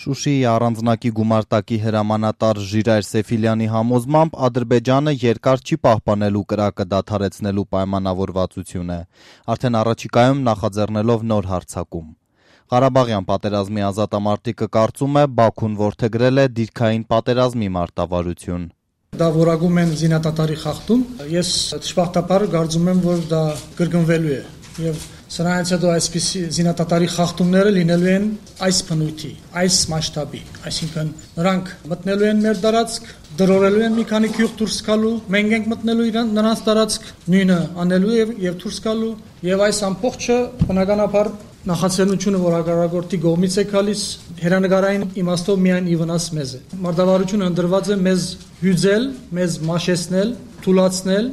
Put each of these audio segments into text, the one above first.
Շուշիի առանձնակի գումարտակի հրամանատար Ժիրայր Սեֆիլյանի համոզմամբ Ադրբեջանը երկար չի պահպանելու կրակը դադարեցնելու պայմանավորվածությունը, արդեն առաջիկայում նախաձեռնելով նոր հարձակում։ Ղարաբաղյան պատերազմի ազատամարտիկը կարծում է Բաքուն որդեգրել է դիրքային պատերազմի մարտավարություն։ Դա որակում են զինադատարի խախտում, ես ճշմարտաբար կարծում եմ, որ դա կրկնվելու է եւ սրանից հետո այսպիսի զինադատարի խախտումները լինելու են այս բնույթի, այս մասշտաբի, այսինքն նրանք մտնելու են մեր տարածք, դրորելու են մի քանի գյուղ դուրս գալու, մենք ենք մտնելու նրանց տարածք, նույնը անելու եւ դուրս գալու եւ այս ամբողջը բնականաբար նախաձեռնությունը, որ հակառակորդի կողմից է գալիս, հերանեկարային իմաստով միայն ի վնաս մեզ է։ Մարտավարությունը ընդրված է մեզ հյուծել, մեզ մաշեցնել, թուլացնել։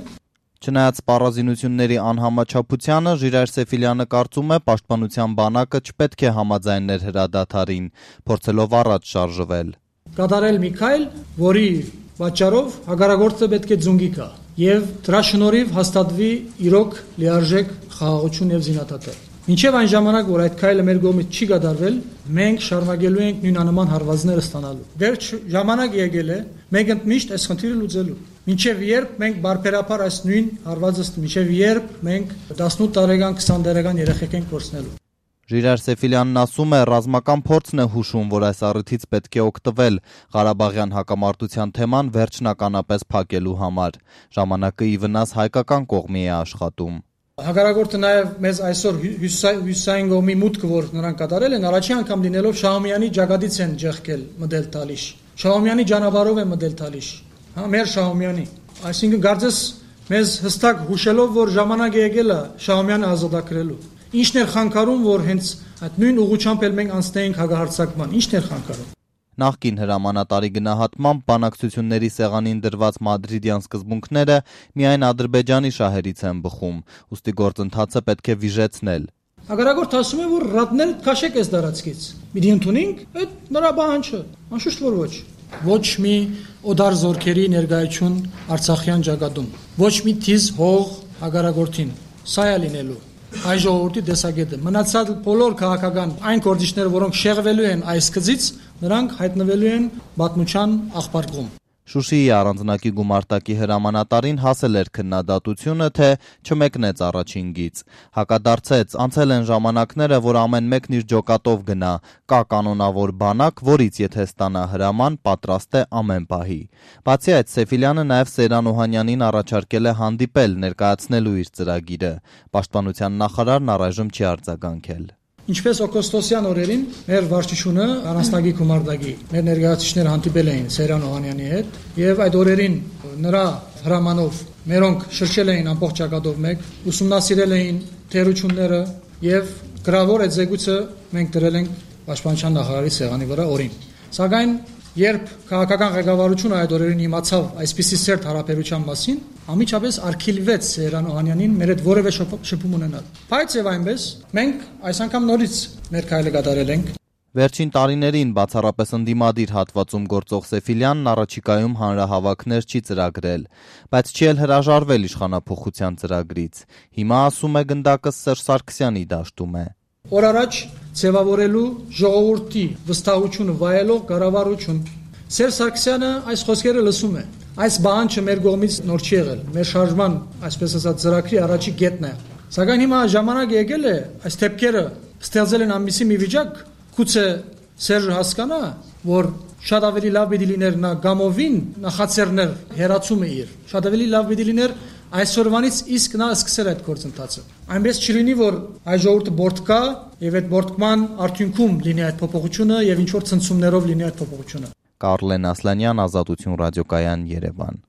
Չնայած սպառազինությունների անհամաչափությանը, Ժիրայր Սեֆիլյանը կարծում է, պաշտպանության բանակը չպետք է համաձայներ հրադադարին, փորձելով առաջ շարժվել։ Կատարել մի քայլ, որի պատճառով հակառակորդը պետք է ձունգի գա եւ դրա շնորհիվ հաստատվի իրոք լիարժեք խաղաղություն եւ զինադատը։ Մինչև այն ժամանակ, որ այդ քայլը մեր կողմից չի կատարվել, մենք շարունակելու ենք նույնանման հարվածները ստանալու։ Վերջ ժամանակ եկել է, մենք ընդմիշտ այս խնդիրը լուծելու։ Մինչև երբ մենք բարբերաբար այս նույն հարվածը, մինչև երբ մենք 18 տարեկան, 20 տարեկան երեխեք ենք կորցնելու։ Ժիրայր Սեֆիլյանն ասում է, ռազմական փորձն է հուշում, որ այս առիթից պետք է օգտվել Ղարաբաղյան հակամարտության թեման վերջնականապես փակելու համար։ Ժամանակը ի վնաս հայկական կողմի է աշխատում։ Հակառակորդը նաև մեզ այսօր հյուսային կողմի մուտքը, որ նրանք կատարել են, առաջին անգամ լինելով Շահումյանի ջագադից են ջեղկել մտել Թալիշ։ Շահումյանի ճանապարհով է մտել Թալիշ։ Մեր Շահումյանի։ Այսինքն կարծես մեզ հստակ հուշելով, որ ժամանակը եկել է Շահումյանը ազատագրելու։ Ինչն էր խանգարում, որ հենց այդ նույն ուղղությամբ էլ մենք անցնեինք հակահարձակման։ Ինչն էր խանգարում։ Նախկին հրամանատարի գնահատմամբ բանակցությունների սեղանին դրված մադրիդյան սկզբունքները միայն Ադրբեջանի շահերից են բխում, ուստի գործընթացը պետք է վիժեցնել։ Հակառակորդը ասում է, որ ռադնել քաշեք այս տարածքից։ Մի ընդունենք, այդ նրա բանջը, անշուշտ որ ոչ։ Ոչ մի օդար զորքերի ներկայություն Արցախյան ճակատում, ոչ մի թիզ հող հակառակորդին։ Սա է լինելու այ ժողովրդի տեսակետը։ Մնացած բոլոր քաղաքական այն գործիչները, որոնք շեղվելու են այս գծից, նրանք հայտնվելու են պատմության աղբարկում։ Շուշիի առանձնակի գումարտակի հրամանատարին հասել էր քննադատությունը, թե չմեկնեց առաջին գիծ։ Հակադարձեց, անցել են ժամանակները, որ ամեն մեկն իր ջոկատով գնա, կա կանոնավոր բանակ, որից եթե ստանա հրաման, պատրաստ է ամեն պահի։ Բացի այդ, Սեֆիլյանը նաև Սեյրան Օհանյանին առաջարկել է հանդիպել, ներկայացնելու իր ծրագիրը։ Պաշտպանության նախարարն առայժմ չի արձագանքել։ Ինչպես օգոստոսյան օրերին մեր վարչությունը առանձնակի գումարտակի մեր ներկայացուցիչները հանդիպել էին Սեյրան Օհանյանի հետ եւ այդ օրերին նրա հրամանով մերոնք շրջել էին ամբողջ ճակատով մեկ, ուսումնասիրել էին թերությունները եւ գրավոր այդ զեկույցը մենք դրել ենք պաշտպանության նախարարի սեղանի վրա օրին։ Սակայն երբ քաղաքական ղեկավարությունը այդ օրերին իմացավ այսպիսի սերտ հարաբերության մասին, ամիջապես արգելվեց Սեյրան Օհանյանին մեր հետ որևէ շփում ունենալ։ Բայց եւ այնպես մենք այս անգամ նորից մեր քայլը կատարել ենք։ Վերջին տարիներին բացառապես ընդդիմադիր հատվածում գործող Սեֆիլյանն առաջիկայում հանրահավաքներ չի ծրագրել, բայց չի էլ հրաժարվել իշխանափոխության ծրագրից։ Հիմա ասում է գնդակը Սերժ Սարգսյանի դաշտում է։ Օր առաջ ձևավորելու ժողովրդի վստահությունը վայելող կառավարություն։ Սերժ Սարգսյանը այս խոսքերը լսում է։ Այս բանջը մեր կողմից նոր չի եղել։ Մեր շարժման, այսպես ասած, ծրագրի առաջի կետն է։ Սակայն հիմա ժամանակ եկել է այս թեփքերը ստեղծել են ամիսի մի վիճակ, գուցե Սերժը հասկանա, որ շատ ավելի լավ պիտի լիներ նա գամովին նախաձեռներ հերացումը իր։ Շատ ավելի լավ պիտի լիներ այսօրվանից իսկ նա սկսել այդ գործընթացը։ Այնպես չլինի, որ այս ժողովուրդը բորտկա եւ այդ բորտկման արդյունքում լինի այդ փոփոխությունը եւ ինչ որ ցնցումներով լինի այդ փոփոխությունը։ Կարլեն Ասլանյան, Ազատություն ռադիոկայան, Երևան։